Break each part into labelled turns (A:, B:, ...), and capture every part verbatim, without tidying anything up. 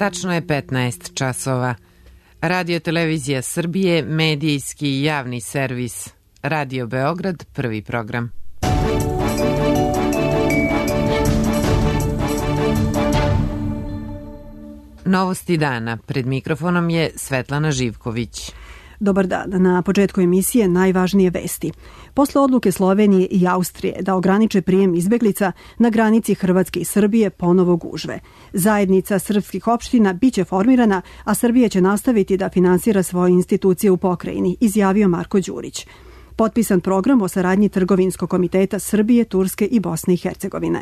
A: Tačno je petnaest časova. Radio Televizija Srbije, medijski i javni servis. Radio Beograd, prvi program. Novosti dana. Pred mikrofonom je Svetlana Živković.
B: Dobar dan. Na početku emisije najvažnije vesti. Posle odluke Slovenije i Austrije da ograniče prijem izbeglica, na granici Hrvatske i Srbije ponovo gužve. Zajednica srpskih opština biće formirana, a Srbija će nastaviti da finansira svoje institucije u pokrajini, izjavio Marko Đurić. Potpisan program o saradnji Trgovinskog komiteta Srbije, Turske i Bosne i Hercegovine.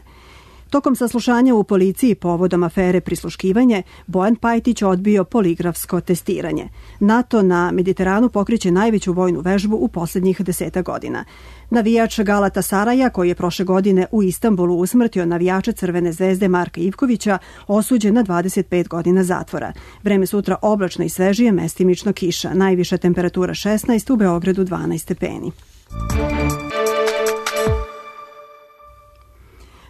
B: Tokom saslušanja u policiji povodom afere prisluškivanje, Bojan Pajtić odbio poligrafsko testiranje. NATO na Mediteranu pokreće najveću vojnu vežbu u posljednjih deseta godina. Navijač Galatasaraja, koji je prošle godine u Istanbulu usmrtio navijača Crvene zvezde Marka Ivkovića, osuđen na dvadeset pet godina zatvora. Vreme sutra oblačno i svežije, mestimično kiša. Najviša temperatura šesnaest, u Beogradu dvanaest stepeni.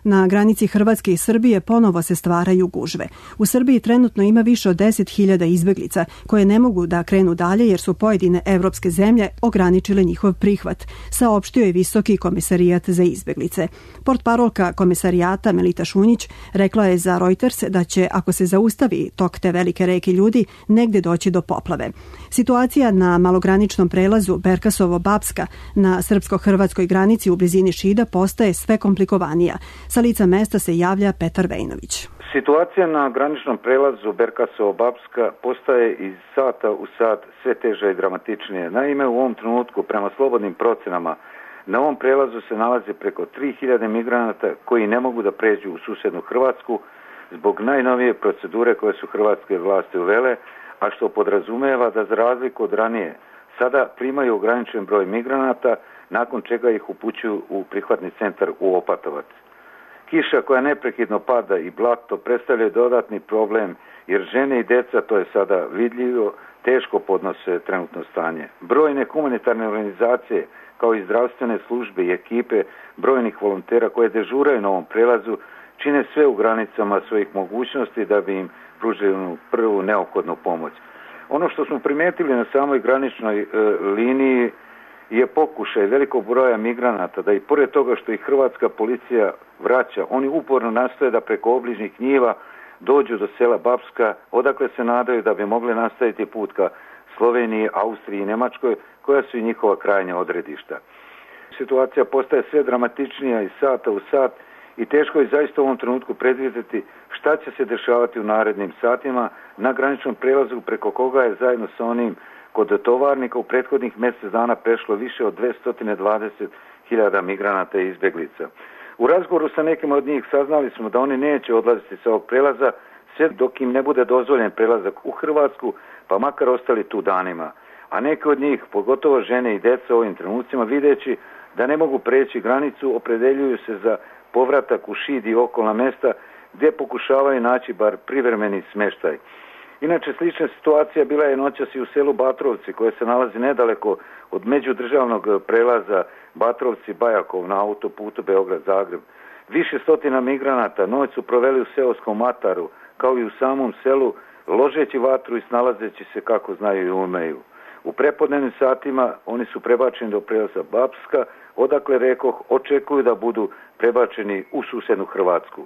B: Na granici Hrvatske i Srbije ponovo se stvaraju gužve. U Srbiji trenutno ima više od deset hiljada izbeglica koje ne mogu da krenu dalje jer su pojedine evropske zemlje ograničile njihov prihvat, saopštio je Visoki komesarijat za izbeglice. Portparolka komesarijata Melita Šunjić rekla je za Reuters da će, ako se zaustavi tok te velike reke ljudi, negde doći do poplave. Situacija na malograničnom prelazu Berkasovo-Bapska na srpsko-hrvatskoj granici u blizini Šida postaje sve komplikovanija. Sa lica mesta se javlja Petar Vejnović.
C: Situacija na graničnom prelazu Berkasovo-Bapska postaje iz sata u sat sve teža i dramatičnije. Naime, u ovom trenutku, prema slobodnim procenama, na ovom prelazu se nalaze preko tri hiljade migranata koji ne mogu da pređu u susednu Hrvatsku zbog najnovije procedure koje su hrvatske vlasti uvele, a što podrazumeva da za razliku od ranije sada primaju ograničen broj migranata, nakon čega ih upućuju u prihvatni centar u Opatovac. Kiša koja neprekidno pada i blato predstavljaju dodatni problem jer žene i deca, to je sada vidljivo, teško podnose trenutno stanje. Brojne humanitarne organizacije kao i zdravstvene službe i ekipe brojnih volontera koje dežuraju na ovom prelazu čine sve u granicama svojih mogućnosti da bi im pružili prvu neophodnu pomoć. Ono što smo primetili na samoj graničnoj e, liniji je pokušaj velikog broja migranata da i pored toga što ih hrvatska policija vraća, oni uporno nastoje da preko obližnjih njiva dođu do sela Bapska, odakle se nadaju da bi mogli nastaviti put ka Sloveniji, Austriji i Njemačkoj, koja su i njihova krajnja odredišta. Situacija postaje sve dramatičnija iz sata u sat i teško je zaista u ovom trenutku predvidjeti šta će se dešavati u narednim satima na graničnom prelazu preko koga je zajedno sa onim kod tovarnika u prethodnih mjesec dana prešlo više od dvesta dvadeset hiljada migranata i izbjeglica. U razgovoru sa nekim od njih saznali smo da oni neće odlaziti sa ovog prelaza sve dok im ne bude dozvoljen prelazak u Hrvatsku, pa makar ostali tu danima. A neki od njih, pogotovo žene i djeca u ovim trenucima, videći da ne mogu preći granicu, opredeljuju se za povratak u Šid i okolna mjesta gdje pokušavaju naći bar privremeni smještaj. Inače, slična situacija bila je noćas i u selu Batrovci, koje se nalazi nedaleko od međudržavnog prelaza Batrovci-Bajakov na autoputu Beograd-Zagreb. Više stotina migranata noć su proveli u seoskom Mataru, kao i u samom selu, ložeći vatru i snalazeći se kako znaju i umeju. U prepodnevnim satima oni su prebačeni do prelaza Bapska, odakle, rekoh, očekuju da budu prebačeni u susednu Hrvatsku.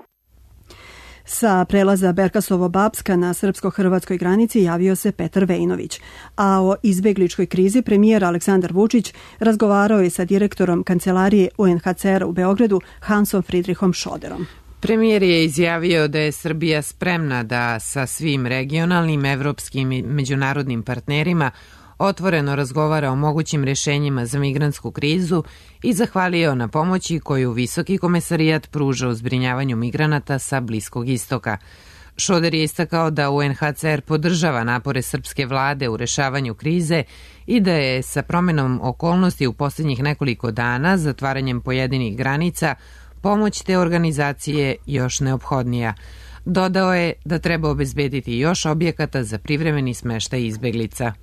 B: Sa prelaza Berkasovo-Bapska na srpsko-hrvatskoj granici javio se Petar Vejnović, a o izbegličkoj krizi premijer Aleksandar Vučić razgovarao je sa direktorom kancelarije U N H C R u Beogradu Hansom Friedrichom Schoderom.
A: Premijer je izjavio da je Srbija spremna da sa svim regionalnim, evropskim i međunarodnim partnerima otvoreno razgovara o mogućim rješenjima za migrantsku krizu i zahvalio na pomoći koju Visoki komesarijat pruža u zbrinjavanju migranata sa Bliskog istoka. Šoder je istakao da U N H C R podržava napore srpske vlade u rešavanju krize i da je sa promenom okolnosti u posljednjih nekoliko dana, zatvaranjem pojedinih granica, pomoć te organizacije još neophodnija. Dodao je da treba obezbediti još objekata za privremeni smeštaj izbeglica.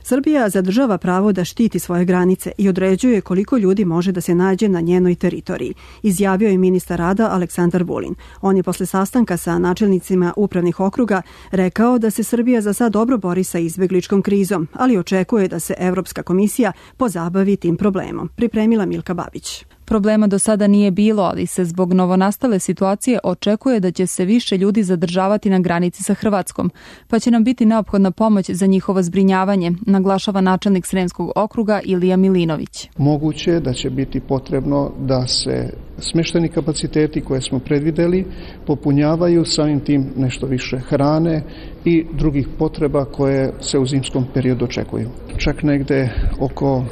B: Srbija zadržava pravo da štiti svoje granice i određuje koliko ljudi može da se nađe na njenoj teritoriji, izjavio je ministar rada Aleksandar Vulin. On je posle sastanka sa načelnicima upravnih okruga rekao da se Srbija za sad dobro bori sa izbegličkom krizom, ali očekuje da se Evropska komisija pozabavi tim problemom. Pripremila Milka Babić.
D: Problema do sada nije bilo, ali se zbog novonastale situacije očekuje da će se više ljudi zadržavati na granici sa Hrvatskom, pa će nam biti neophodna pomoć za njihovo zbrinjavanje, naglašava načelnik Sremskog okruga Ilija Milinović.
E: Moguće je da će biti potrebno da se smještajni kapaciteti koje smo predvideli popunjavaju, samim tim nešto više hrane i drugih potreba koje se u zimskom periodu očekuju. Čak negde oko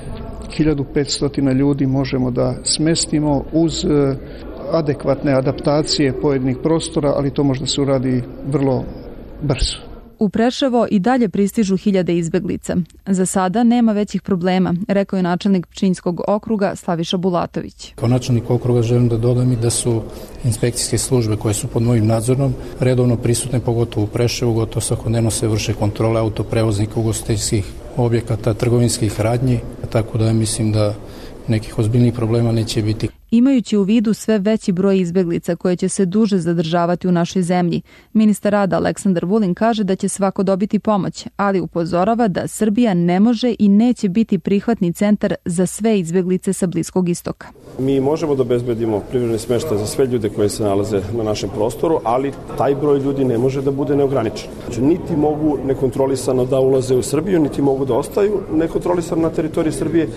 E: hiljadu petsto ljudi možemo da smestimo uz adekvatne adaptacije pojedinih prostora, ali to možda se uradi vrlo brzo.
D: U Preševo i dalje pristižu hiljade izbeglica. Za sada nema većih problema, rekao je načelnik Pčinjskog okruga Slaviša Bulatović.
F: Kao načelnik okruga želim da dodam i da su inspekcijske službe koje su pod mojim nadzorom redovno prisutne, pogotovo u Preševu, gotovo svakodnevno se vrše kontrole autoprevoznika, ugostiteljskih objekata, trgovinskih radnji, tako da mislim da nekih ozbiljnih problema neće biti.
D: Imajući u vidu sve veći broj izbeglica koje će se duže zadržavati u našoj zemlji, ministar rada Aleksandar Vulin kaže da će svako dobiti pomoć, ali upozorava da Srbija ne može i neće biti prihvatni centar za sve izbeglice sa Bliskog istoka.
G: Mi možemo da obezbedimo privremeni smeštaj za sve ljude koji se nalaze na našem prostoru, ali taj broj ljudi ne može da bude neograničen. Znači, niti mogu nekontrolisano da ulaze u Srbiju, niti mogu da ostaju nekontrolisano na teritoriji Srbije.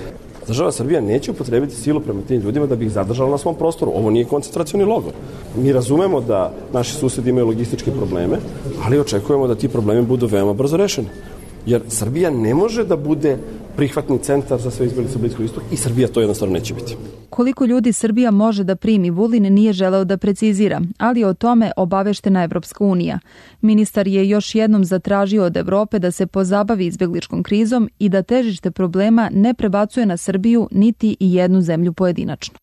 G: Država Srbija neće upotrebiti silu prema tim ljudima da bi ih zadržala na svom prostoru. Ovo nije koncentracioni logor. Mi razumemo da naši susedi imaju logističke probleme, ali očekujemo da ti problemi budu veoma brzo rešeni. Jer Srbija ne može da bude prihvatni centar za sve izbeglice Bliskog istoka i Srbija to jednostavno neće biti.
D: Koliko ljudi Srbija može da primi, Vulin nije želeo da precizira, ali o tome obaveštena Evropska unija. Ministar je još jednom zatražio od Evrope da se pozabavi izbegličkom krizom i da težište problema ne prebacuje na Srbiju niti i jednu zemlju pojedinačno.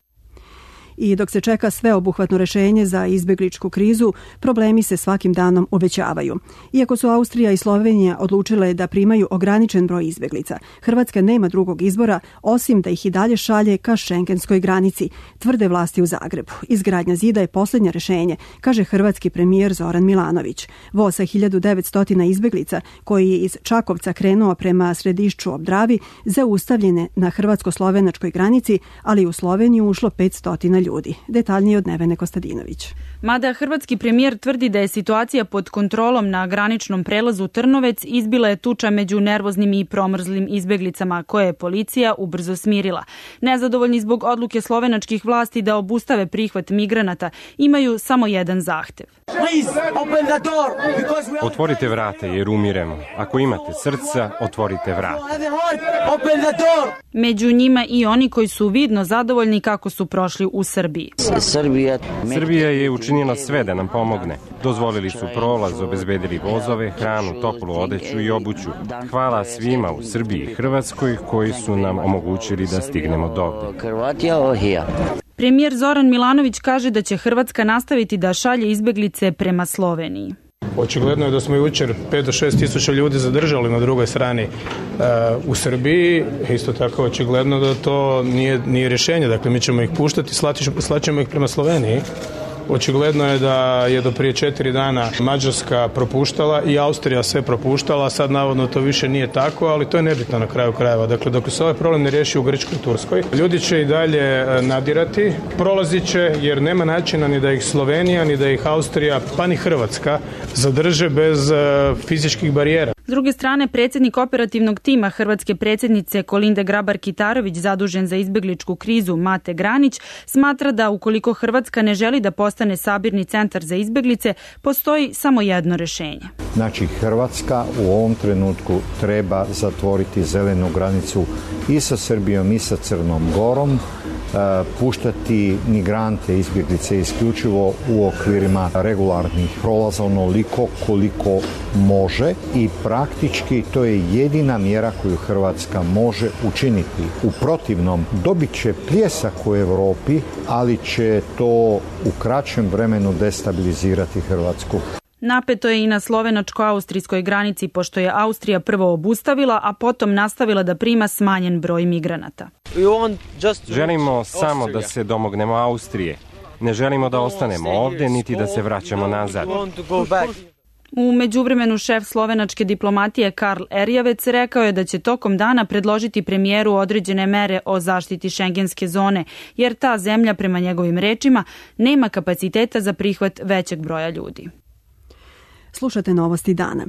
B: I dok se čeka sveobuhvatno rešenje za izbegličku krizu, problemi se svakim danom uvećavaju. Iako su Austrija i Slovenija odlučile da primaju ograničen broj izbeglica, Hrvatska nema drugog izbora osim da ih i dalje šalje ka šengenskoj granici, tvrde vlasti u Zagrebu. Izgradnja zida je posljednje rešenje, kaže hrvatski premijer Zoran Milanović. Voz sa hiljadu devetsto izbeglica, koji je iz Čakovca krenuo prema Središću ob Dravi, zaustavljene na hrvatsko-slovenačkoj granici, ali u Sloveniju ušlo petsto ljudi. Detaljnije od Nevene Kostadinović.
H: Mada hrvatski premijer tvrdi da je situacija pod kontrolom na graničnom prelazu Trnovec, izbila je tuča među nervoznim i promrzlim izbeglicama koje je policija ubrzo smirila. Nezadovoljni zbog odluke slovenačkih vlasti da obustave prihvat migranata, imaju samo jedan zahtev.
I: Otvorite vrate jer umiremo. Ako imate srca, otvorite vrata.
H: Među njima i oni koji su vidno zadovoljni kako su prošli u Srbiji.
I: Srbija je učinila sve da nam pomogne. Dozvolili su prolaz, obezbedili vozove, hranu, toplu odeću i obuću. Hvala svima u Srbiji i Hrvatskoj koji su nam omogućili da stignemo dovde.
H: Premijer Zoran Milanović kaže da će Hrvatska nastaviti da šalje izbeglice prema Sloveniji.
J: Očigledno je da smo jučer pet do šest tisuća ljudi zadržali na drugoj strani uh, u Srbiji. Isto tako očigledno da to nije, nije rješenje. Dakle, mi ćemo ih puštati, slaćemo ih prema Sloveniji. Očigledno je da je do prije četiri dana Mađarska propuštala i Austrija sve propuštala, sad navodno to više nije tako, ali to je nebitno na kraju krajeva. Dakle, dok se ovaj problem ne riješi u Grčkoj i Turskoj, ljudi će i dalje nadirati, prolazit će jer nema načina ni da ih Slovenija, ni da ih Austrija, pa ni Hrvatska zadrže bez fizičkih barijera.
H: S druge strane, predsjednik operativnog tima hrvatske predsjednice Kolinde Grabar-Kitarović, zadužen za izbegličku krizu, Mate Granić, smatra da ukoliko Hrvatska ne želi da postane sabirni centar za izbeglice, postoji samo jedno rješenje.
K: Znači, Hrvatska u ovom trenutku treba zatvoriti zelenu granicu i sa Srbijom i sa Crnom Gorom, puštati migrante, izbjeglice isključivo u okvirima regularnih prolaza onoliko koliko može i praktički to je jedina mjera koju Hrvatska može učiniti. U protivnom dobit će pljesak u Europi, ali će to u kraćem vremenu destabilizirati Hrvatsku.
H: Napeto je i na slovenačko-austrijskoj granici, pošto je Austrija prvo obustavila, a potom nastavila da prima smanjen broj migranata.
I: Želimo samo da se domognemo Austrije. Ne želimo da ostanemo ovde, niti da se vraćamo nazad.
H: U međuvremenu šef slovenačke diplomatije Karl Erjavec rekao je da će tokom dana predložiti premijeru određene mere o zaštiti šengenske zone, jer ta zemlja, prema njegovim rečima, nema kapaciteta za prihvat većeg broja ljudi.
B: Slušate novosti dana.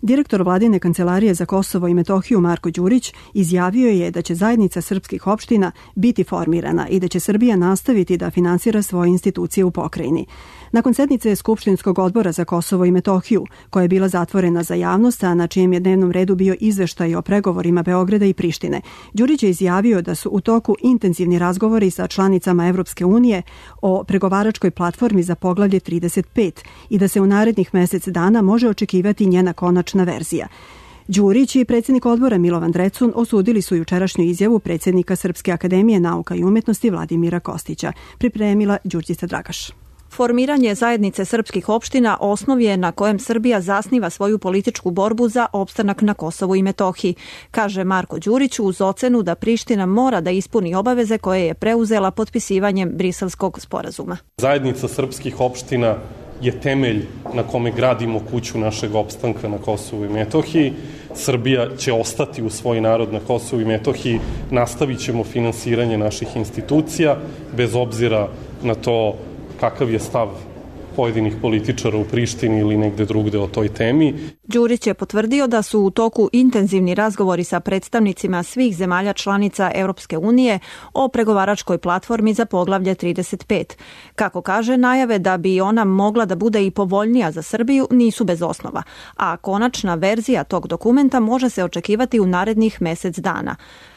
B: Direktor Vladine kancelarije za Kosovo i Metohiju Marko Đurić izjavio je da će zajednica srpskih opština biti formirana i da će Srbija nastaviti da finansira svoje institucije u pokrajini. Nakon sednice Skupštinskog odbora za Kosovo i Metohiju, koja je bila zatvorena za javnost, a na čijem je dnevnom redu bio izveštaj o pregovorima Beograda i Prištine, Đurić je izjavio da su u toku intenzivni razgovori sa članicama Evropske unije o pregovaračkoj platformi za poglavlje trideset pet i da se u narednih mesec dana može očekivati njena konačna verzija. Đurić i predsjednik odbora Milovan Drecun osudili su jučerašnju izjavu predsjednika Srpske akademije nauka i umetnosti Vladimira Kostića. Pripremila Đurđica Dragaš.
L: Formiranje zajednice srpskih opština osnov je na kojem Srbija zasniva svoju političku borbu za opstanak na Kosovu i Metohiji, kaže Marko Đurić uz ocenu da Priština mora da ispuni obaveze koje je preuzela potpisivanjem Briselskog sporazuma.
M: Zajednica srpskih opština je temelj na kome gradimo kuću našeg opstanka na Kosovu i Metohiji. Srbija će ostati u svoj narod na Kosovu i Metohiji, nastavit ćemo finansiranje naših institucija, bez obzira na to kakav je stav pojedinih političara u Prištini ili negde drugde o toj temi.
L: Đurić je potvrdio da su u toku intenzivni razgovori sa predstavnicima svih zemalja članica Europske unije o pregovaračkoj platformi za poglavlje trideset pet. Kako kaže, najave da bi ona mogla da bude i povoljnija za Srbiju nisu bez osnova, a konačna verzija tog dokumenta može se očekivati u narednih mesec dana.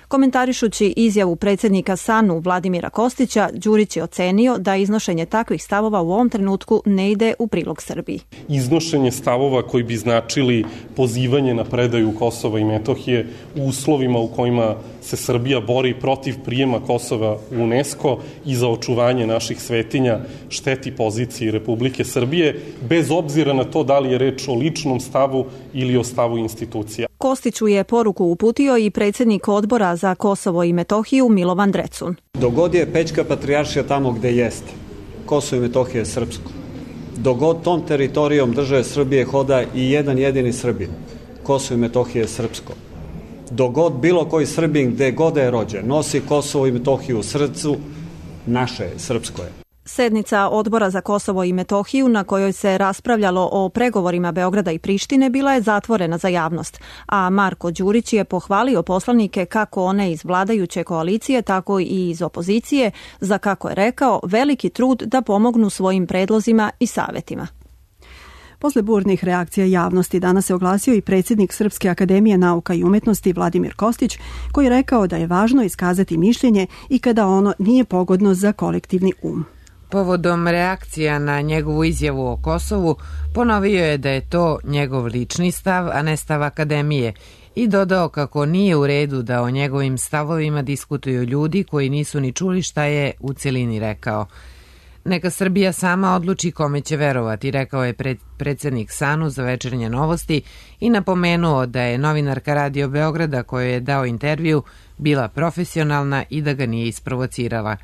L: Komentarišući izjavu predsjednika SANU Vladimira Kostića, Đurić je ocenio da iznošenje takvih stavova u ovom trenutku ne ide u prilog Srbiji.
M: Iznošenje stavova koji bi značili pozivanje na predaju Kosova i Metohije u uslovima u kojima se Srbija bori protiv prijema Kosova u UNESCO i za očuvanje naših svetinja šteti poziciji Republike Srbije, bez obzira na to da li je reč o ličnom stavu ili o stavu institucija.
L: Kostiću je poruku uputio i predsjednik odbora za Kosovo i Metohiju Milovan Drecun.
N: Dogod je Pećka patrijaršija tamo gde jeste, Kosovo i Metohija je srpsko. Dogod tom teritorijom države Srbije hoda i jedan jedini Srbin, Kosovo i Metohija je srpsko. Dogod bilo koji Srbin gde god je rođen nosi Kosovo i Metohiju u srcu, naše je, srpsko je.
L: Sednica odbora za Kosovo i Metohiju na kojoj se raspravljalo o pregovorima Beograda i Prištine bila je zatvorena za javnost, a Marko Đurić je pohvalio poslanike kako one iz vladajuće koalicije, tako i iz opozicije, za, kako je rekao, veliki trud da pomognu svojim predlozima i savjetima.
B: Posle burnih reakcija javnosti danas se oglasio i predsjednik Srpske akademije nauka i umetnosti Vladimir Kostić, koji je rekao da je važno iskazati mišljenje i kada ono nije pogodno za kolektivni um.
A: Povodom reakcija na njegovu izjavu o Kosovu, ponovio je da je to njegov lični stav, a ne stav akademije, i dodao kako nije u redu da o njegovim stavovima diskutuju ljudi koji nisu ni čuli šta je u celini rekao. Neka Srbija sama odluči kome će verovati, rekao je pred, predsjednik SANU za Večernje novosti i napomenuo da je novinarka Radio Beograda kojoj je dao intervju bila profesionalna i da ga nije isprovocirala.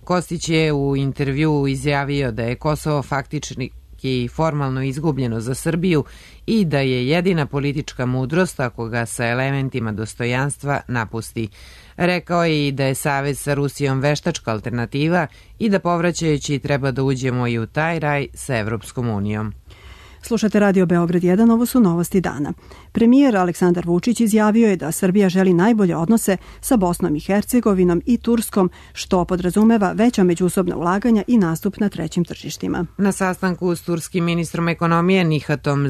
A: Kostić je u intervjuu izjavio da je Kosovo faktički i formalno izgubljeno za Srbiju i da je jedina politička mudrost ako ga sa elementima dostojanstva napusti. Rekao je i da je savez sa Rusijom veštačka alternativa i da povraćajući treba da uđemo i u taj raj sa Evropskom unijom.
B: Slušate Radio Beograd jedan, ovo su novosti dana. Premijer Aleksandar Vučić izjavio je da Srbija želi najbolje odnose sa Bosnom i Hercegovinom i Turskom, što podrazumeva veća međusobna ulaganja i nastup na trećim tržištima.
A: Na sastanku s turskim ministrom ekonomije Nihatom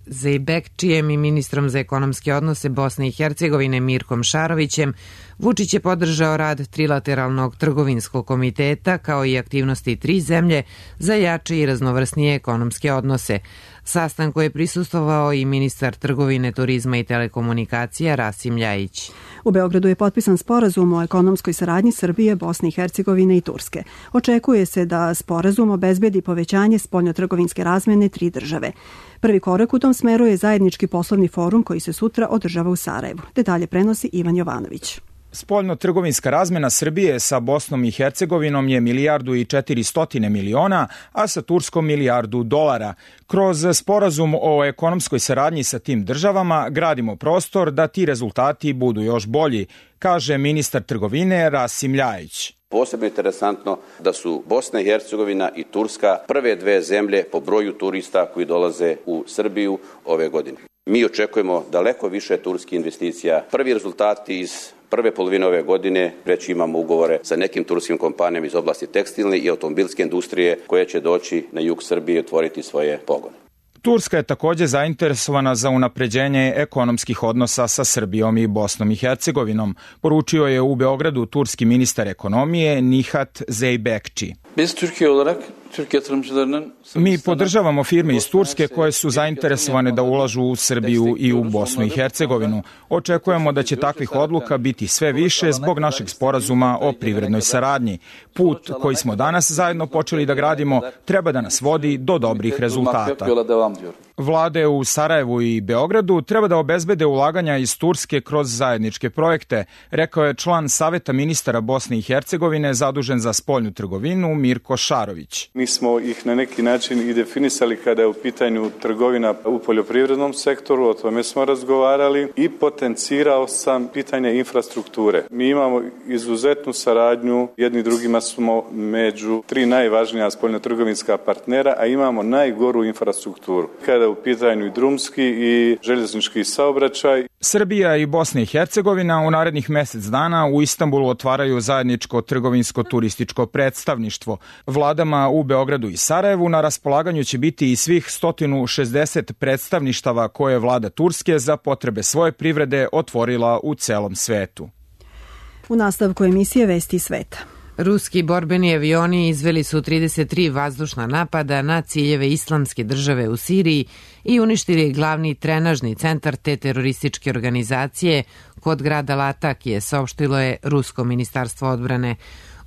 A: Zeybekčijem i ministrom za ekonomske odnose Bosne i Hercegovine Mirkom Šarovićem, Vučić je podržao rad trilateralnog trgovinskog komiteta kao i aktivnosti tri zemlje za jače i raznovrsnije ekonomske odnose. Sastanku je prisustvovao i ministar trgovine, turizma i telekomunikacija Rasim Ljajić.
B: U Beogradu je potpisan sporazum o ekonomskoj saradnji Srbije, Bosne i Hercegovine i Turske. Očekuje se da sporazum obezbedi povećanje spoljnotrgovinske razmene tri države. Prvi korak u tom smeru je zajednički poslovni forum koji se sutra održava u Sarajevu. Detalje prenosi Ivan Jovanović.
O: Spoljno-trgovinska razmena Srbije sa Bosnom i Hercegovinom je milijardu i četiristotine miliona, a sa Turskom milijardu dolara. Kroz sporazum o ekonomskoj saradnji sa tim državama gradimo prostor da ti rezultati budu još bolji, kaže ministar trgovine Rasim Ljajić.
P: Posebno je interesantno da su Bosna i Hercegovina i Turska prve dve zemlje po broju turista koji dolaze u Srbiju ove godine. Mi očekujemo daleko više turskih investicija. Prvi rezultati iz prve polovine ove godine već imamo ugovore sa nekim turskim kompanijama iz oblasti tekstilne i automobilske industrije koje će doći na jug Srbije i otvoriti svoje pogone.
O: Turska je također zainteresovana za unapređenje ekonomskih odnosa sa Srbijom i Bosnom i Hercegovinom, poručio je u Beogradu turski ministar ekonomije Nihat Zeybekci.
Q: Biz Türkiye olarak Türk yatırımcılarının
O: Mi podržavamo firme iz Turske koje su zainteresovane da ulažu u Srbiju i u Bosnu i Hercegovinu. Očekujemo da će takvih odluka biti sve više zbog našeg sporazuma o privrednoj saradnji. Put koji smo danas zajedno počeli da gradimo treba da nas vodi do dobrih rezultata. Vlade u Sarajevu i Beogradu treba da obezbede ulaganja iz Turske kroz zajedničke projekte, rekao je član Saveta ministara Bosne i Hercegovine zadužen za spoljnu trgovinu Mirko Šarović.
R: Mi smo ih na neki način i definisali kada je u pitanju trgovina u poljoprivrednom sektoru, o tome smo razgovarali i potencirao sam pitanje infrastrukture. Mi imamo izuzetnu saradnju, jedni drugima smo među tri najvažnija spoljnotrgovinska partnera, a imamo najgoru infrastrukturu. Kada je u pitanju i drumski i željeznički saobraćaj.
O: Srbija i Bosna i Hercegovina u narednih mjesec dana u Istanbulu otvaraju zajedničko trgovinsko-turističko predstavništvo. Vladama u Beogradu i Sarajevu na raspolaganju će biti i svih sto šezdeset predstavništava koje je vlada Turske za potrebe svoje privrede otvorila u celom svetu.
B: U nastavku emisije Vesti sveta.
A: Ruski borbeni avioni izveli su trideset tri vazdušna napada na ciljeve islamske države u Siriji i uništili glavni trenažni centar te terorističke organizacije kod grada Latakije, saopštilo je Rusko ministarstvo odbrane.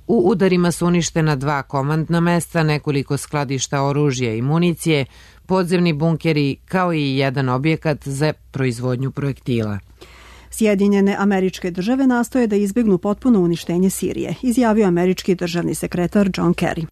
A: U udarima su uništena dva komandna mesta, nekoliko skladišta oružja i municije, podzemni bunkeri kao i jedan objekat za proizvodnju projektila.
B: Sjedinjene Američke države nastoje da izbjegnu potpuno uništenje Sirije, izjavio američki državni sekretar John Kerry.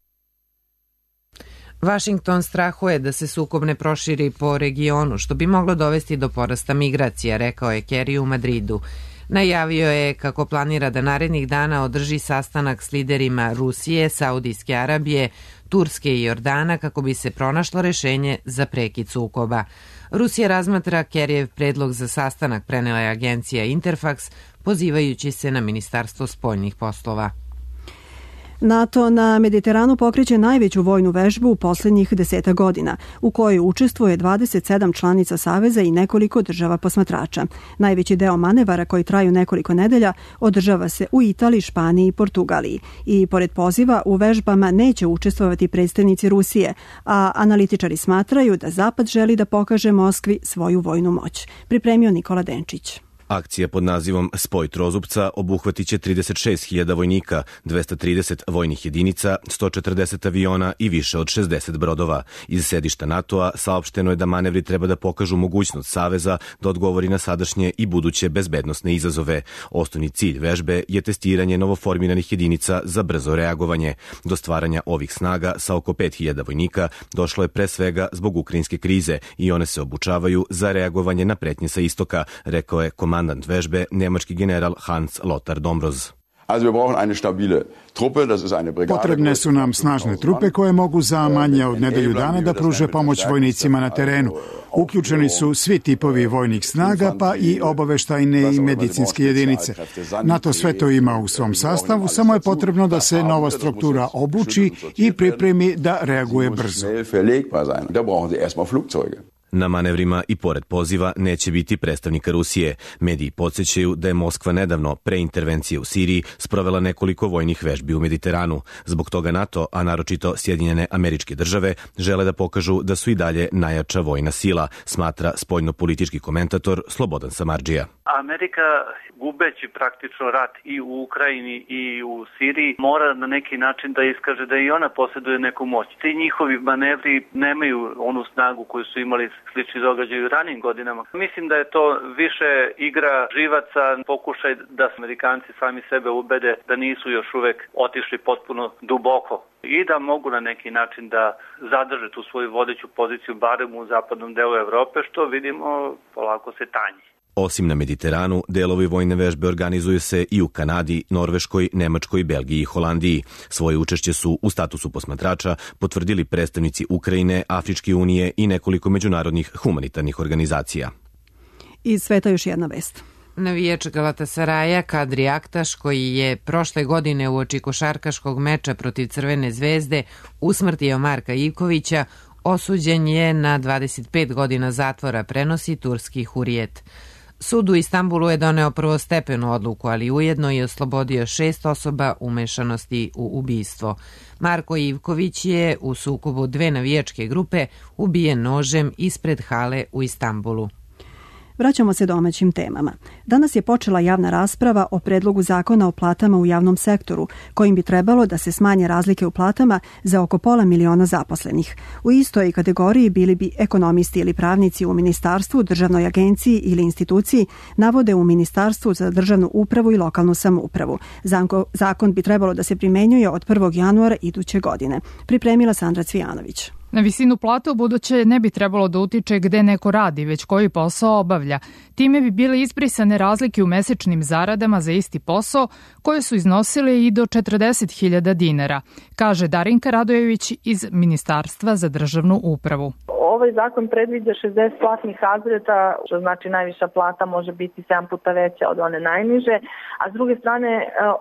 A: Vašington strahuje da se sukob ne proširi po regionu, što bi moglo dovesti do porasta migracija, rekao je Kerry u Madridu. Najavio je kako planira da narednih dana održi sastanak s liderima Rusije, Saudijske Arabije, Turske i Jordana kako bi se pronašlo rešenje za prekid sukoba. Rusija razmatra Kerrijev predlog za sastanak, prenela je agencija Interfax, pozivajući se na Ministarstvo spoljnih poslova.
B: NATO na Mediteranu pokreće najveću vojnu vežbu u posljednjih deseta godina, u kojoj učestvuje dvadeset sedam članica Saveza i nekoliko država posmatrača. Najveći deo manevara, koji traju nekoliko nedelja, održava se u Italiji, Španiji i Portugaliji. I pored poziva, u vežbama neće učestvovati predstavnici Rusije, a analitičari smatraju da Zapad želi da pokaže Moskvi svoju vojnu moć. Pripremio Nikola Denčić.
S: Akcija pod nazivom Spoj trozupca obuhvatit će trideset šest hiljada vojnika, dvesta trideset vojnih jedinica, sto četrdeset aviona i više od šezdeset brodova. Iz sedišta NATO-a saopšteno je da manevri treba da pokažu mogućnost Saveza da odgovori na sadašnje i buduće bezbednosne izazove. Osnovni cilj vežbe je testiranje novoformiranih jedinica za brzo reagovanje. Do stvaranja ovih snaga sa oko pet hiljada vojnika došlo je pre svega zbog ukrajinske krize i one se obučavaju za reagovanje na pretnje sa istoka, rekao je komandant vežbe, nemački general Hans Lothar Dombroz.
T: Potrebne su nam snažne trupe koje mogu za manje od nedelju dana da pruže pomoć vojnicima na terenu. Uključeni su svi tipovi vojnih snaga, pa i obaveštajne i medicinske jedinice. NATO sve to ima u svom sastavu, samo je potrebno da se nova struktura obuči i pripremi da reaguje brzo.
S: Na manevrima i pored poziva neće biti predstavnika Rusije. Mediji podsjećaju da je Moskva nedavno, pre intervencije u Siriji, sprovela nekoliko vojnih vežbi u Mediteranu. Zbog toga NATO, a naročito Sjedinjene Američke Države, žele da pokažu da su i dalje najjača vojna sila, smatra spoljnopolitički komentator Slobodan Samardžija.
U: Amerika, gubeći praktično rat i u Ukrajini i u Siriji, mora na neki način da iskaže da i ona posjeduje neku moć. Ti njihovi manevri nemaju onu snagu koju su imali slični događaji u ranijim godinama. Mislim da je to više igra živaca, pokušaj da Amerikanci sami sebe ubede da nisu još uvek otišli potpuno duboko i da mogu na neki način da zadrže tu svoju vodeću poziciju barem u zapadnom delu Evrope, što vidimo polako se tanji.
S: Osim na Mediteranu, delovi vojne vežbe organizuju se i u Kanadi, Norveškoj, Nemačkoj, Belgiji i Holandiji. Svoje učešće su u statusu posmatrača potvrdili predstavnici Ukrajine, Afričke unije i nekoliko međunarodnih humanitarnih organizacija.
B: Iz sveta još jedna vest.
A: Navijač Galatasaraja Kadri Aktaš, koji je prošle godine uoči košarkaškog meča protiv Crvene zvezde usmrtio Marka Ivkovića, osuđen je na dvadeset pet godina zatvora, prenosi turski Hurijet. Sud u Istanbulu je doneo prvostepenu odluku, ali ujedno i oslobodio šest osoba umešanosti u ubistvo. Marko Ivković je u sukobu dve navijačke grupe ubijen nožem ispred hale u Istanbulu.
B: Vraćamo se domaćim temama. Danas je počela javna rasprava o predlogu zakona o platama u javnom sektoru, kojim bi trebalo da se smanje razlike u platama za oko pola miliona zaposlenih. U istoj kategoriji bili bi ekonomisti ili pravnici u ministarstvu, državnoj agenciji ili instituciji, navode u Ministarstvu za državnu upravu i lokalnu samoupravu. Zakon bi trebalo da se primenjuje od prvog januara iduće godine. Pripremila Sandra Cvijanović.
V: Na visinu plate u buduće ne bi trebalo da utiče gde neko radi, već koji posao obavlja. Time bi bile izbrisane razlike u mesečnim zaradama za isti posao, koje su iznosile i do četrdeset hiljada dinara, kaže Darinka Radojević iz Ministarstva za državnu upravu.
W: Ovaj zakon predviđa šezdeset platnih razreda, što znači najviša plata može biti sedam puta veća od one najniže, a s druge strane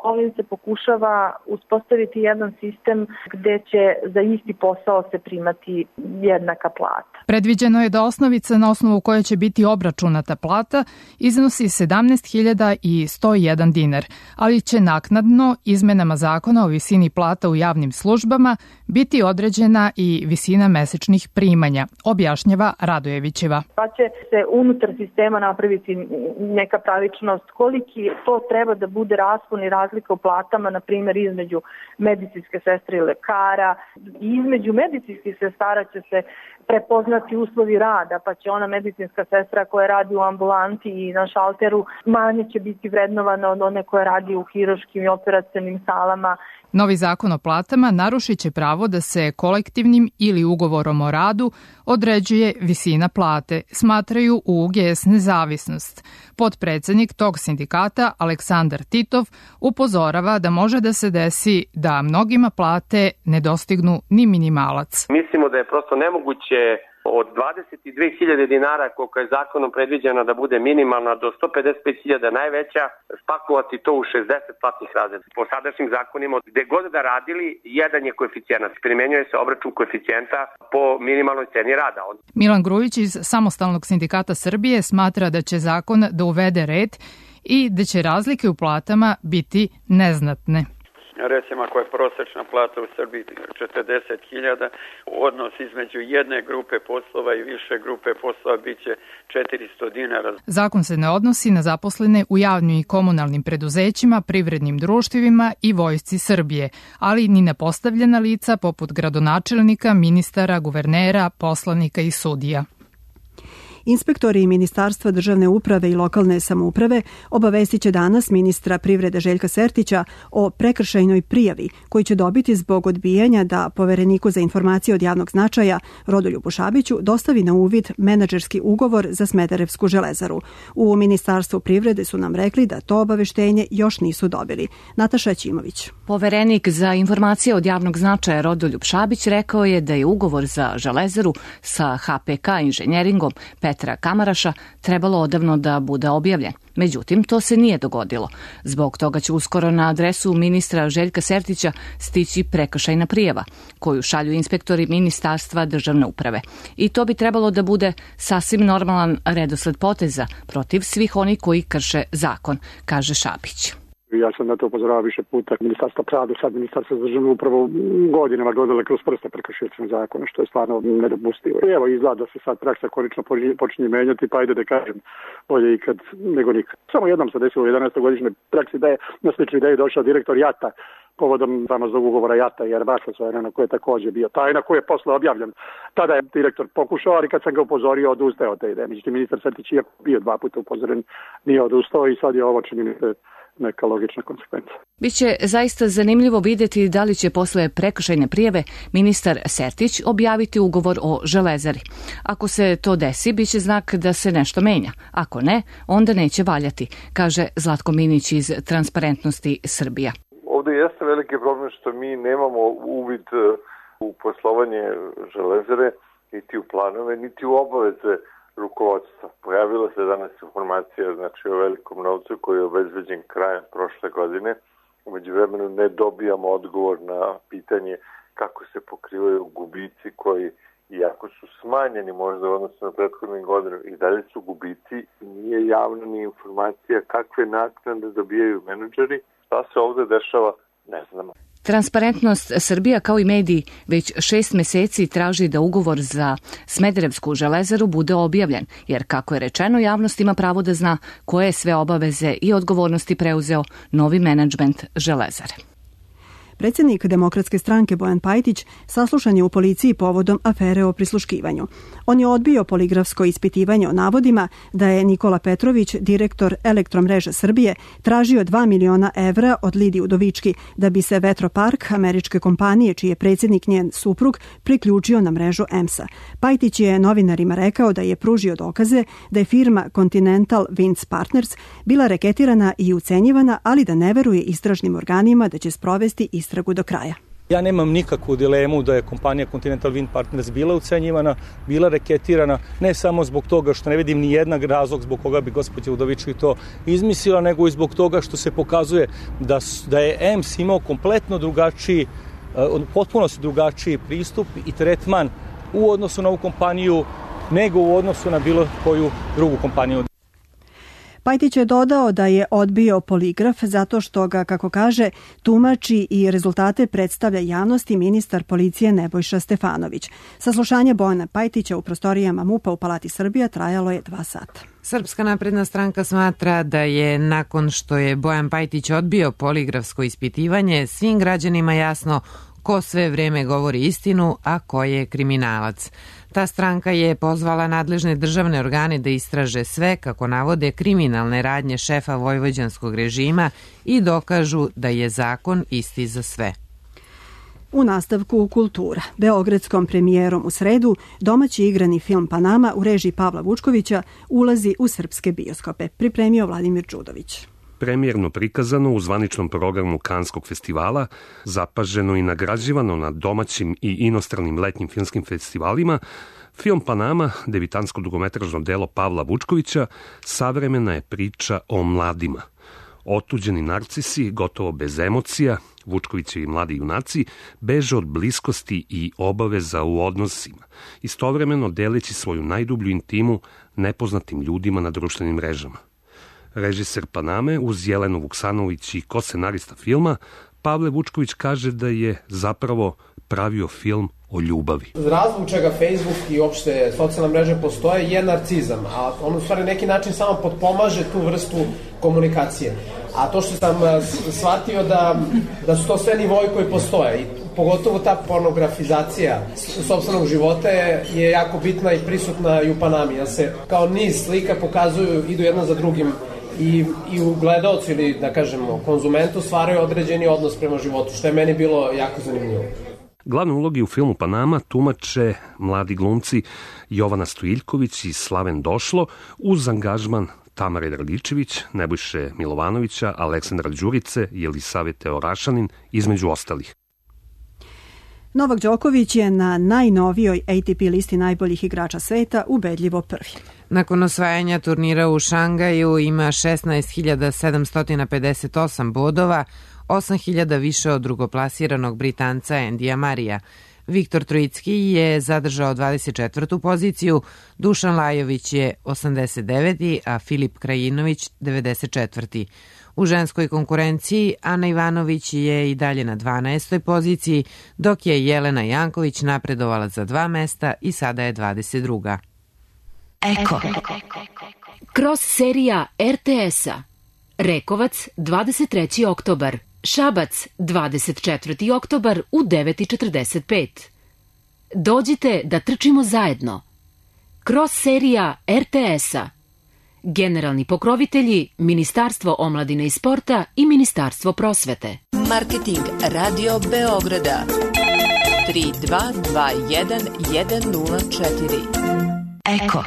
W: ovim se pokušava uspostaviti jedan sistem gde će za isti posao se primati jednaka plata.
V: Predviđeno je da osnovica na osnovu koje će biti obračunata plata iznosi sedamnaest hiljada sto jedan dinar, ali će naknadno izmenama zakona o visini plata u javnim službama biti određena i visina mesečnih primanja, objašnjava Radojevićeva.
W: Pa će se unutar sistema napraviti neka pravičnost, koliki to treba da bude raspon i razlika u platama, na primjer između medicinske sestre i lekara. I između medicinskih sestara će se prepoznati uslovi rada, pa će ona medicinska sestra koja radi u ambulanti i na šalteru manje će biti vrednovana od one koja radi u hirurškim i operacionim salama.
V: Novi zakon o platama narušit će pravo da se kolektivnim ili ugovorom o radu određuje visina plate, smatraju u U G S Nezavisnost. Potpredsednik tog sindikata, Aleksandar Titov, upozorava da može da se desi da mnogima plate ne dostignu ni minimalac.
X: Mislimo da je prosto nemoguće od dvadeset dve hiljade dinara koliko je zakonom predviđena da bude minimalna do sto pedeset pet hiljada najveća, spakovati to u šezdeset platnih razreda. Po sadašnjim zakonima, gde god da radili, jedan je koeficijenat. Primenjuje se obračun koeficijenta po minimalnoj ceni rada.
V: Milan Grujić iz Samostalnog sindikata Srbije smatra da će zakon da uvede red i da će razlike u platama biti neznatne.
Y: Recimo, ako je prosječna plata u Srbiji četrdeset hiljada, odnos između jedne grupe poslova i više grupe poslova biće četiristo dinara.
V: Zakon se ne odnosi na zaposlene u javnim i komunalnim preduzećima, privrednim društvima i Vojsci Srbije, ali ni na postavljena lica poput gradonačelnika, ministara, guvernera, poslanika i sudija.
B: Inspektori Ministarstva državne uprave i lokalne samouprave obavestit će danas ministra privrede Željka Sertića o prekršajnoj prijavi koji će dobiti zbog odbijanja da Povereniku za informacije od javnog značaja Rodoljubu Šabiću dostavi na uvid menadžerski ugovor za Smederevsku železaru. U Ministarstvu privrede su nam rekli da to obaveštenje još nisu dobili. Nataša Ćimović.
Z: Poverenik za informacije od javnog značaja Rodoljub Šabić rekao je da je ugovor za železaru sa H P K inženjeringom, Petra Kamaraša trebalo odavno da bude objavljen. Međutim, to se nije dogodilo. Zbog toga će uskoro na adresu ministra Željka Sertića stići prekršajna prijava, koju šalju inspektori Ministarstva državne uprave. I to bi trebalo da bude sasvim normalan redosled poteza protiv svih onih koji krše zakon, kaže Šapić.
C: Ja sam na to upozoravao više puta. Ministarstvo pravde, sad Ministarstvo za državnu upravu godinama gledale kroz prste prekršiteljskog zakona, što je stvarno nedopustivo. I evo, izgleda da se sad praksa konačno počinje menjati, pa ajde da kažem, bolje ikad nego nikad. Samo jednom se desilo u jedanaestogodišnjoj praksi da je na sličnu ideju došao direktor JAT-a povodom famoznog ugovora JAT-a i Airbusa, koji je također bio tajna, koji je posle objavljen. Tada je direktor pokušao, ali kad sam ga upozorio, odustao od te ideje. Međutim, ministar Sertić je bio dva puta upozoren, nije odustao i sad je ovo, čini mi se, neka logična konsekvenca.
Z: Biće zaista zanimljivo vidjeti da li će posle prekršajne prijave ministar Sertić objaviti ugovor o Železari. Ako se to desi, biće znak da se nešto menja. Ako ne, onda neće valjati, kaže Zlatko Minić iz Transparentnosti Srbija.
D: Ovdje jeste veliki problem što mi nemamo uvid u poslovanje Železare, niti u planove, niti u obaveze rukovodstva. Pojavila se danas informacija, znači, o velikom novcu koji je obezbeđen krajem prošle godine. U međuvremenu ne dobijamo odgovor na pitanje kako se pokrivaju gubici koji, iako su smanjeni možda u odnosu na prethodnih godinu, i dalje su gubici i nije javna ni informacija kakve naknade dobijaju menadžeri. Šta se ovdje dešava, ne znamo.
Z: Transparentnost Srbija kao i mediji već šest meseci traži da ugovor za Smederevsku železaru bude objavljen, jer kako je rečeno, javnost ima pravo da zna koje sve obaveze i odgovornosti preuzeo novi menadžment Železare.
B: Predsjednik Demokratske stranke Bojan Pajtić saslušan je u policiji povodom afere o prisluškivanju. On je odbio poligrafsko ispitivanje o navodima da je Nikola Petrović, direktor Elektromreža Srbije, tražio dva miliona evra od Lidije Udovički da bi se vetropark američke kompanije, čiji je predsjednik njen suprug, priključio na mrežu E M S-a. Pajtić je novinarima rekao da je pružio dokaze da je firma Continental Winds Partners bila reketirana i ucenjivana, ali da ne veruje istražnim organima da će sprovesti istragu do kraja.
E: Ja nemam nikakvu dilemu da je kompanija Continental Wind Partners bila ucenjivana, bila reketirana, ne samo zbog toga što ne vidim ni jednak razlog zbog koga bi gospođa Udovički to izmislila, nego i zbog toga što se pokazuje da, da je E M S imao kompletno drugačiji, potpuno drugačiji pristup i tretman u odnosu na ovu kompaniju nego u odnosu na bilo koju drugu kompaniju.
B: Pajtić je dodao da je odbio poligraf zato što ga, kako kaže, tumači i rezultate predstavlja javnosti ministar policije Nebojša Stefanović. Saslušanje Bojana Pajtića u prostorijama MUP-a u Palati Srbija trajalo je dva sata.
A: Srpska napredna stranka smatra da je nakon što je Bojan Pajtić odbio poligrafsko ispitivanje svim građanima jasno ko sve vrijeme govori istinu, a ko je kriminalac. Ta stranka je pozvala nadležne državne organe da istraže sve, kako navode, kriminalne radnje šefa vojvođanskog režima i dokažu da je zakon isti za sve.
B: U nastavku kultura. Beogradskom premijerom u sredu domaći igrani film Panama u režiji Pavla Vučkovića ulazi u srpske bioskope, pripremio Vladimir Đudović.
F: Premijerno prikazano u zvaničnom programu Kanskog festivala, zapaženo i nagrađivano na domaćim i inostranim letnjim filmskim festivalima, film Panama, debitansko dugometražno delo Pavla Vučkovića, savremena je priča o mladima. Otuđeni narcisi, gotovo bez emocija, Vučkovićevi mladi junaci, beže od bliskosti i obaveza u odnosima, istovremeno deleći svoju najdublju intimu nepoznatim ljudima na društvenim mrežama. Režiser Paname uz Jelenu Vuksanović i ko-scenarista filma, Pavle Vučković kaže da je zapravo pravio film o ljubavi.
G: Razlog čega Facebook i uopšte socijalne mreže postoje je narcizam, a on u stvari neki način samo potpomaže tu vrstu komunikacije. A to što sam shvatio da, da su to sve nivoji koji postoje i pogotovo ta pornografizacija sopstvenog života je, je jako bitna i prisutna i u Panami, jer se kao niz slika pokazuju, idu jedna za drugim i, i u gledaocu ili da kažemo konzumentu stvaraju određeni odnos prema životu, što je meni bilo jako zanimljivo.
F: Glavne uloge u filmu Panama tumače mladi glumci Jovana Stojiljković i Slaven Došlo uz angažman Tamare Dragičević, Nebojše Milovanovića, Aleksandra Đurice i Elisavete Orašanin, između ostalih.
B: Novak Đoković je na najnovijoj A T P listi najboljih igrača sveta ubedljivo prvi.
A: Nakon osvajanja turnira u Šangaju ima šesnaest hiljada sedamsto pedeset osam bodova, osam hiljada više od drugoplasiranog Britanca Endija Marija. Viktor Trojicki je zadržao dvadeset četvrtu poziciju, Dušan Lajović je osamdeset deveti, a Filip Krajinović devedeset četvrti. U ženskoj konkurenciji Ana Ivanović je i dalje na dvanaestoj poziciji, dok je Jelena Janković napredovala za dva mesta i sada je dvadeset druga.
H: Eko. Cross serija R T S-a. Rekovac, dvadeset treći oktobar. Šabac, dvadeset četvrti oktobar u devet i četrdeset pet. Dođite da trčimo zajedno. Cross serija R T S-a. Generalni pokrovitelji Ministarstvo omladine i sporta i Ministarstvo prosvete.
I: Marketing Radio Beograda tri dva dva jedan jedan nula četiri. Eko.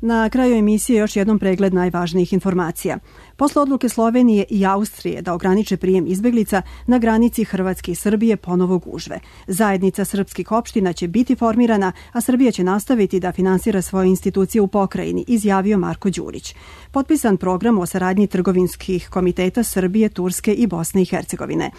B: Na kraju emisije još jednom pregled najvažnijih informacija. Posle odluke Slovenije i Austrije da ograniče prijem izbeglica, na granici Hrvatske i Srbije ponovo gužve. Zajednica srpskih opština će biti formirana, a Srbija će nastaviti da finansira svoje institucije u pokrajini, izjavio Marko Đurić. Potpisan program o saradnji trgovinskih komiteta Srbije, Turske i Bosne i Hercegovine.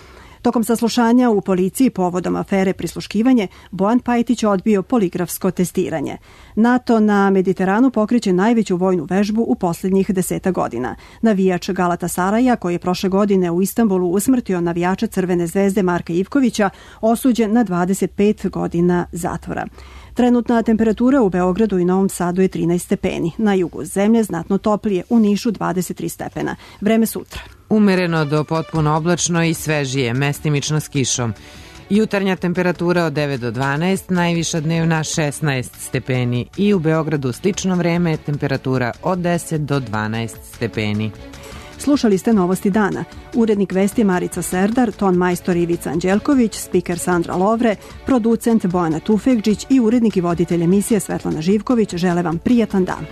B: Tokom saslušanja u policiji povodom afere prisluškivanje, Bojan Pajtić odbio poligrafsko testiranje. NATO na Mediteranu pokreće najveću vojnu vežbu u posljednjih deseta godina. Navijač Galatasaraja, koji je prošle godine u Istanbulu usmrtio navijača Crvene zvezde Marka Ivkovića, osuđen na dvadeset pet godina zatvora. Trenutna temperatura u Beogradu i Novom Sadu je trinaest stepeni. Na jugu zemlje znatno toplije, u Nišu dvadeset tri stepena. Vreme sutra.
A: Umereno do potpuno oblačno i svežije, mestimično s kišom. Jutarnja temperatura od devet do dvanaest, najviša dnevna šesnaest stepeni i u Beogradu slično vreme, temperatura od deset do dvanaest stepeni.
B: Slušali ste Novosti dana. Urednik vesti Marica Serdar, ton majstor Ivica Anđelković, spiker Sandra Lovre, producent Bojana Tufekđić i urednik i voditelj emisije Svetlana Živković žele vam prijatan dan.